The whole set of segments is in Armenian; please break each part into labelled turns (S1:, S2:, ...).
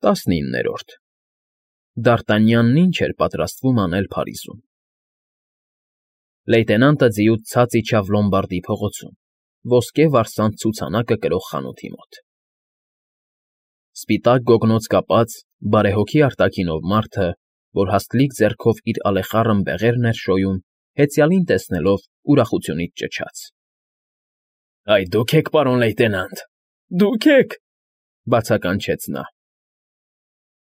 S1: 19-րդ Դարտանյանն ինչ էր պատրաստվում անել Փարիզում։ Լեյտենանտը ձիուց ցած իջավ Լոմբարդի փողոցում, ոսկե վարսանտ ցուցանակը կրող խանութի մոտ։ Սպիտակ գոգնոց կապած, բարեհոգի արտաքինով մարդը, որ հաստլիկ ձեռքով իր ալեխառն բեղերն էր շոյում, հեծյալին տեսնելով ուրախությունից ճչաց. ֊ Այ դուք եք, պարոն լեյտենանտ, դուք եք,֊ բացականչեց նա։ ֊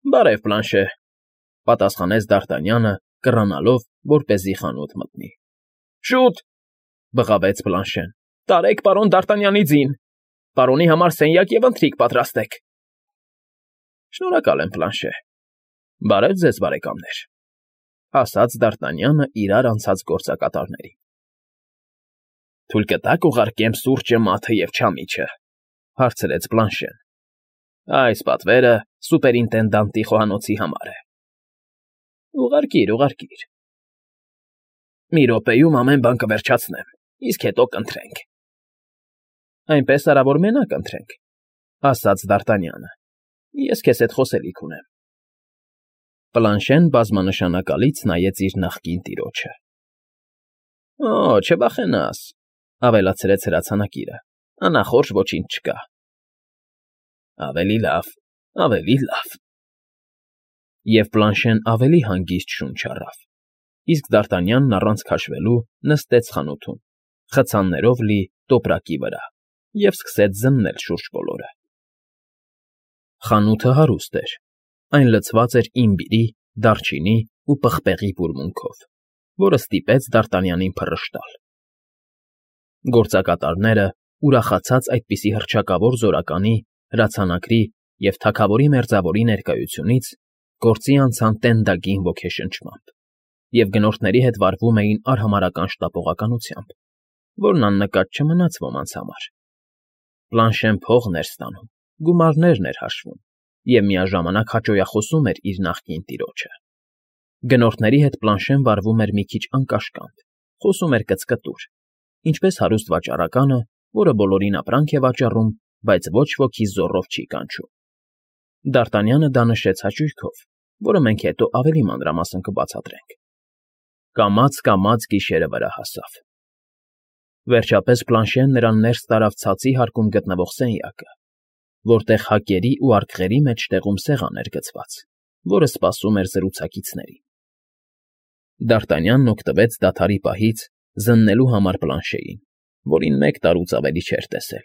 S1: Բարև, Պլանշե,֊ պատասխանեց Դարտանյանը, կռանալով, որպեսզի խանութ մտնի։ ֊ Շո՛ւտ,֊ բղավեց Պլանշեն,֊ տարեք պարոն Դարտանյանի ձին, պարոնի համար սենյակ և ընթրիք պատրաստեք։ ֊ Շնորհակալ եմ, Պլանշե։ Բարև ձեզ, բարեկամներ,֊ ասաց Դարտանյանը իրար անցած գործակատարներին։ ֊ Թույլ կտա՞ք ուղարկեմ սուրճը, մաթը և չամիչը,֊ հարցրեց Պլանշեն։ ֊ Այս պատվերը սուպերինտենդանտի խոհանոցի համար է։ ֊ Ուղարկիր, ուղարկիր։ ֊ Մի րոպեում ամեն բան կվերջացնեմ, իսկ հետո կընթրենք։ ֊ Այնպես արա, որ մենակ ընթրենք,֊ ասաց Դարտանյանը։ Ես քեզ հետ խոսելիք ունեմ։ Պլանշեն բազմանշանակալից նայեց իր նախկին տիրոջը։ ֊ Օ, չվախենաս,֊ ավելացրեց հրացանակիրը,֊ անախորժ ոչինչ չկա։ ֊ Ավելի լավ, ավելի լավ։ Եվ Պլանշեն ավելի հանգիստ շունչ առավ, իսկ Դարտանյանն առանց քաշվելու նստեց խանութում, խցաններով լի տոպրակի վրա, և սկսեց զննել շուրջբոլորը։ Խանութը հարուստ էր, այն լցված էր իմբիրի, դարչինի ու պղպեղի բուրմունքով, որը ստիպեց Դարտանյանին փռշտալ։ Գործակատարները, ուրախացած այդպիսի հռչակավոր զորականի, հրացանակրի և թագավորի մերձավորի ներկայությունից, գործի անցան տենդագին ոգեշնչմամբ և գնորդների հետ վարվում էին արհամարհական շտապողականությամբ, որն աննկատ չմնաց ոմանց համար։ Պլանշեն փողն էր ստանում, գումարներն էր հաշվում և միաժամանակ հաճոյախոսում էր իր նախկին տիրոջը։ Գնորդների հետ Պլանշեն վարվում էր մի քիչ անկաշկանդ, խոսում էր կծկտուր, ինչպես հարուստ վաճառականը, որը բոլորին ապրանք է վաճառում, բայց ոչ ոքի զոռով չի կանչում։ Դարտանյանը դա նշեց հաճույքով, որը մենք հետո ավելի մանրամասն կբացատրենք։ Կամաց գիշերը վրա հասավ։ Վերջապես Պլանշեն նրան ներս տարավ ցածի հարկում գտնվող սենյակը, որտեղ հակերի ու արկղերի մեջտեղում սեղան էր գցված, որը սպասում էր զրուցակիցներին։ Դարտանյանն օգտվեց դադարի պահից զննելու համար Պլանշեին, որին մեկ տարուց ավելի չէր տեսել։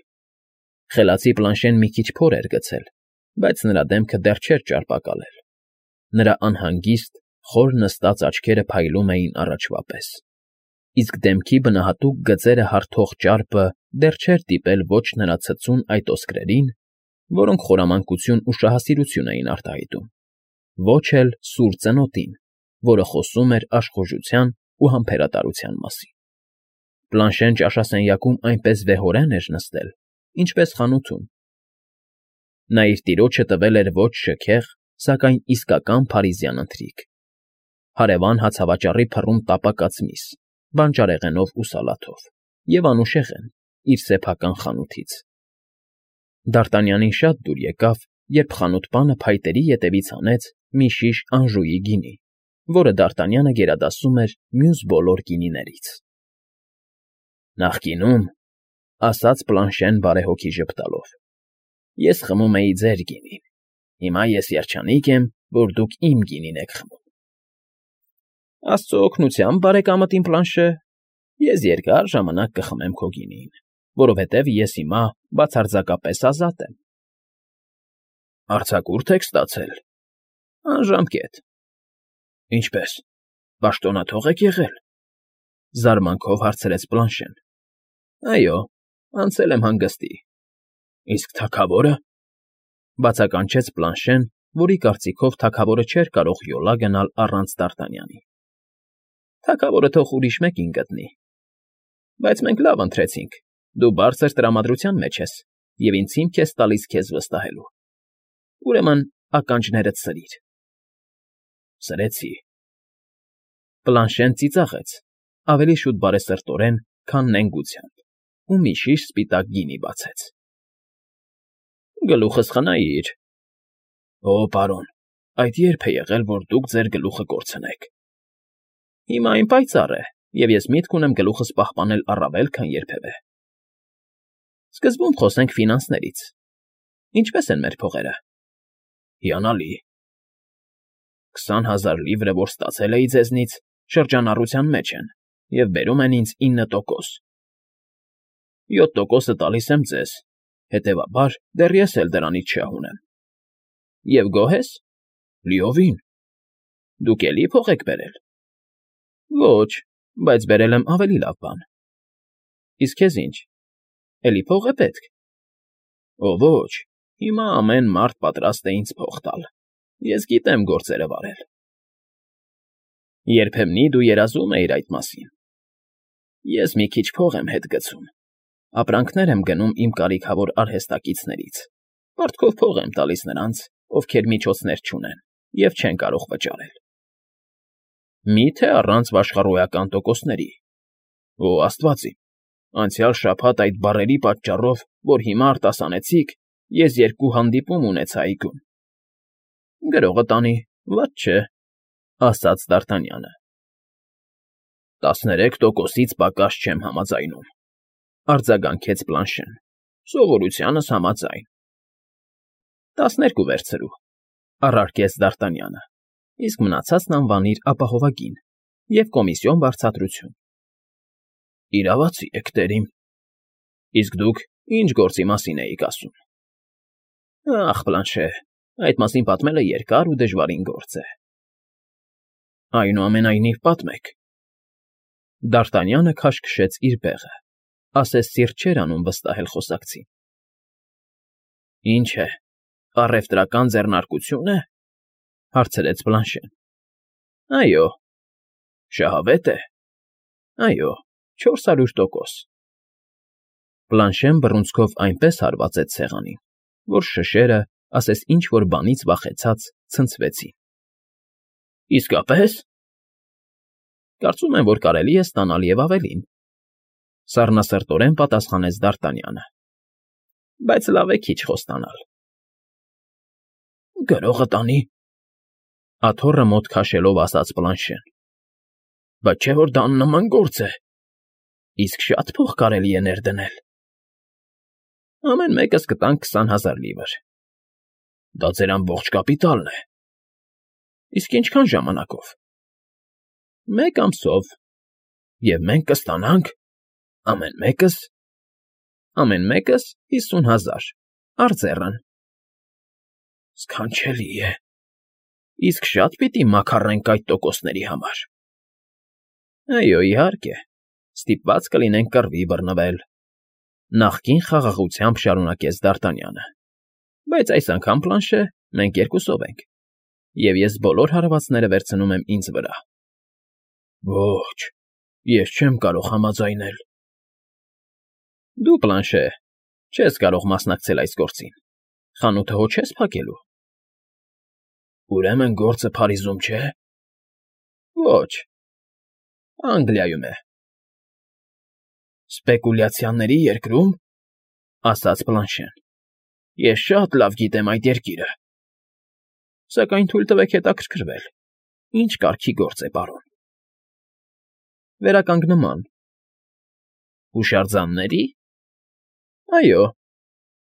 S1: Խելացի Պլանշեն մի քիչ փոր էր գցել, բայց նրա դեմքը դեռ չէր ճարպակալել։ Նրա անհանգիստ, խոր նստած աչքերը փայլում էին առաջվա պես, իսկ դեմքի բնահատուկ գծերը հարթող ճարպը դեռ չէր դիպել ոչ նրա ցցուն այդ ոսկրերին, որոնք խորամանկություն ու շահասիրություն էին արտահայտում, ոչ էլ սուր ծնոտին, որը խոսում էր աշխուժության ու համբերատարության մասին։ Պլանշեն ճաշասենյակում այնպես վեհորեն էր նստել, ինչպես խանութում։ Նա իր տիրոջը տվել էր ոչ շքեղ, սակայն իսկական փարիզյան ընթրիք, հարևան հացավաճառի փռում տապակած միս, բանջարեղենով ու սալաթով, և անուշեղեն իր սեփական խանութից։ Դարտանյանին շատ դուր եկավ, երբ խանութպանը փայտերի ետևից հանեց մի շիշ անժուի գինի, որը Դարտանյանը գերադասում էր մյուս բոլոր գինիներից։ ֊ Նախկինում,֊ ասաց Պլանշեն բարեհոգի ժպտալով,֊ ես խմում էի ձեր գինին, հիմա ես երջանիկ եմ, որ դուք իմ գինին եք խմում։ ֊ Աստծո օգնությամբ, բարեկամդ իմ Պլանշե, ես երկար ժամանակ կխմեմ քո գինին, որովհետև ես հիմա բացարձակապես ազատ եմ։ ֊ Արձակուրդ եք ստացել։ ֊ Անժամկետ։ ֊ Ինչպե՞ս, պաշտոնաթո՞ղ եք եղել,֊ զարմանքով հարցրեց Պլանշեն։ ֊ Այո, անցել եմ հանգստի։ ֊ Իսկ թագավո՞րը,֊ բացականչեց Պլանշեն, որի կարծիքով թագավորը չէր կարող յոլա գնալ առանց Դարտանյանի։ ֊ Թագավորը թող ուրիշ մեկին գտնի։ Բայց մենք լավ ընթրեցինք, դու բարձր տրամադրության մեջ ես և ինձ հիմք ես տալիս քեզ վստահելու։ Ուրեմն ականջներդ սրիր։ ֊ Սրեցի։ Պլանշեն ծիծաղեց, ավելի շուտ բարեսրտորեն, քան նենգությամբ, ու մի շիշ սպիտակ գինի բացեց։ ֊ Գլուխս խնայիր։ Օ, պարոն, այդ երբ է եղել, որ դուք ձեր գլուխը կորցնեք։ Հիմա այն պայծառ է, և ես միտք ունեմ գլուխս պահպանել առավել, քան երբևէ։ Սկզբում խոսենք ֆինանսներից։ Ինչպե՞ս են մեր փողերը։ Հիանալի։ 20,000 լիվրը, որ ստացել էի ձեզնից, շրջանառության մեջ են և բերում են ինձ 9%։ 7%-ը տալիս եմ ձեզ, հետևաբար դեռ ես էլ դրանից շահ ունեմ։ Եվ գոհ ես։ Լիովին։ Դուք էլի փող եք բերել։ Ոչ, բայց բերել եմ ավելի լավ բան։ Իսկ քեզ ինչ։ Էլի փող է պետք։ Ո ոչ, հիմա ամեն մարդ պատրաստ է ինձ փող տալ։ Ես գիտեմ գործերը վարել։ Երբեմնի դու երազում էիր այդ մասին։ Ես մի քիչ փող եմ հետ գցում։ Ապրանքներ եմ գնում իմ կարիքավոր արհեստակիցներից։ Պարտքով փող եմ տալիս նրանց, ովքեր միջոցներ չունեն և չեն կարող վճարել։ Մի՞թե առանց վաշխառոյական տոկոսների։ Օ, Աստված իմ, անցյալ շաբաթ այդ բառերի պատճառով, որ հիմա արտասանեցիք, ես 2 հանդիպում ունեցա այգում։ Գրողը տանի, վատ չէ, ասաց Դ'Արտանյանը։ 13%-ից պակաս չեմ համաձայնում, արձագանքեց Պլանշեն, սովորությանս համաձայն։ 12 վերցրու, առարկեց Դ'Արտանյանը, իսկ մնացածն անվանիր ապահովագին և կոմիսիոն վարձատրություն։ Իրավացի եք, տերիմ։ Իսկ դուք ինչ գործի մասին էիք ասում։ Ախ, Պլանշե, այդ մասին պատմելը երկար ու դժվարին գործ է։ Այնուամենայնիվ պատմեք։ Դ'Արտանյանը քաշքշեց իր բեղը, ասես սիրտ չէր անում վստահել խոսակցին։ Ինչ է, առևտրական ձեռնարկությո՞ւն է, հարցրեց Պլանշեն։ Այո։ Շահավե՞տ է։ Այո, 400%։ Պլանշեն բռունցքով այնպես հարվածեց սեղանին, որ շշերը, ասես ինչ-որ բանից վախեցած, ցնցվեցին։ Իսկապե՞ս։ Կարծում եմ, որ կարելի է ստանալ և ավելին, սառնասրտորեն պատասխանեց Դ'Արտանյանը։ Բայց լավ է քիչ խոստանալ։ Գրողը տանի, աթոռը մոտ քաշելով ասաց Պլանշեն։ Բայց չէ՞ որ դա աննման գործ է։ Իսկ շատ փող կարելի է ներդնել։ Ամեն մեկս կտանք 20,000 լիվր։ Դա ձեր ամբողջ կապիտալն է։ Իսկ ինչքան ժամանակով։ 1 ամսով։ Եվ մենք կստանանք ամեն մեկս 50,000, արձեռն։ Սքանչելի է։ Իսկ շատ պիտի մաքառենք այդ տոկոսների համար։ Այո, իհարկե, ստիպված կլինենք կռվի բռնվել, նախկին խաղաղությամբ շարունակեց Դ'Արտանյանը։ Բայց այս անգամ, Պլանշե, մենք երկուսով ենք, և ես բոլոր հարվածները վերցնում եմ ինձ վրա։ Ոչ, ես չեմ կարող համաձայնել։ Դու, Պլանշե, չես կարող մասնակցել այս գործին, խանութը հո չես փակելու։ Ուրեմն գործը Փարիզում չէ։ Ոչ, Անգլիայում է։ Սպեկուլյացիաների երկրո՞ւմ, ասաց Պլանշեն։ Ես շատ լավ գիտեմ այդ երկիրը։ Սակայն թույլ տվեք հետաքրքրվել, ինչ կարգի գործ է, պարոն։ Վերականգնման։ Հուշարձանների։ Այո,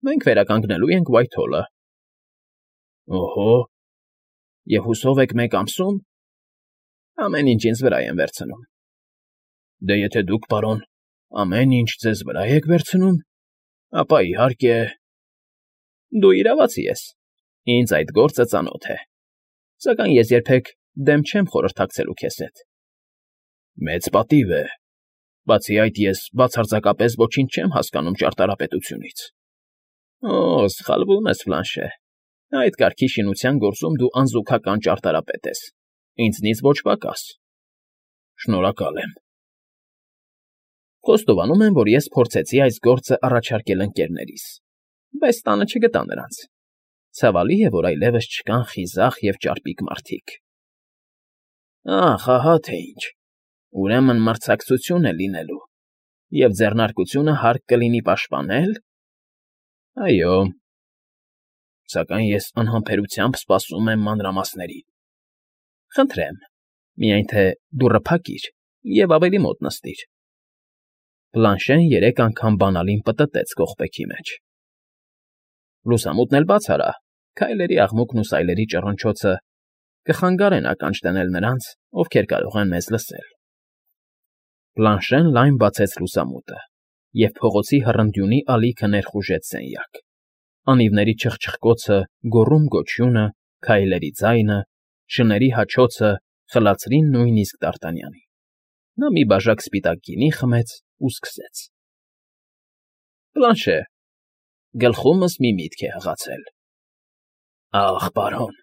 S1: մենք վերականգնելու ենք Ուայթհոլը։ Օհո, և հուսով եք 1 ամսում։ Ամեն ինչ ինձ վրա են վերցնում։ Դե եթե դուք, պարոն, ամեն ինչ ձեզ վրա եք վերցնում, ապա իհարկե։ Դու իրավացի ես, ինձ այդ գործը ծանոթ է, սակայն ես երբեք դեմ չեմ խորհրդակցելու քեզ հետ։ Մեծ պատիվ է, բացի այդ ես բացարձակապես ոչինչ չեմ հասկանում ճարտարապետությունից։ Օ, սխալվում ես, Պլանշե, այդ կարգի շինության գործում դու անզուգական ճարտարապետ ես, ինձնից ոչ պակաս։ Շնորհակալ եմ։ Խոստովանում եմ, որ ես փորձեցի այս գործը առաջարկել ընկերներիս, բայց տանը չգտա նրանց։ Ցավալի է, որ այլևս չկան խիզախ և ճարպիկ մարդիկ։ Ահ, ահա թե ինչ։ Ուրեմն մրցակցություն է լինելու, և ձեռնարկությունը հարկ կլինի պաշտպանել։ Այո։ Սակայն ես անհամբերությամբ սպասում եմ մանրամասներին։ Խնդրեմ, միայն թե դուռը փակիր և ավելի մոտ նստիր։ Պլանշեն 3 անգամ բանալին պտտեց կողպեքի մեջ։ Լուսամուտն էլ բաց արա, քայլերի աղմուկն ու սայլերի ճռնչոցը կխանգարեն ականջ դնել նրանց, ովքեր կարող են մեզ լսել։ Պլանշեն լայն բացեց լուսամուտը, և փողոցի հռնդյունի ալիքը ներխուժեց սենյակ։ Անիվների չխչխկոցը, գոռում֊գոչյունը, քայլերի ձայնը, շների հաչոցը խլացրին նույնիսկ Դարտանյանին։ Նա մի բաժակ սպիտակ գինի խմեց ու սկսեց. Պլանշե, գլխումս մի միտք է հղացել։ Ախ, պարոն,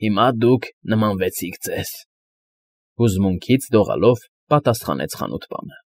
S1: հիմա դուք նմանվեցիք ձեզ, հուզմունքից դողալով պատասխանեց խանութպանը։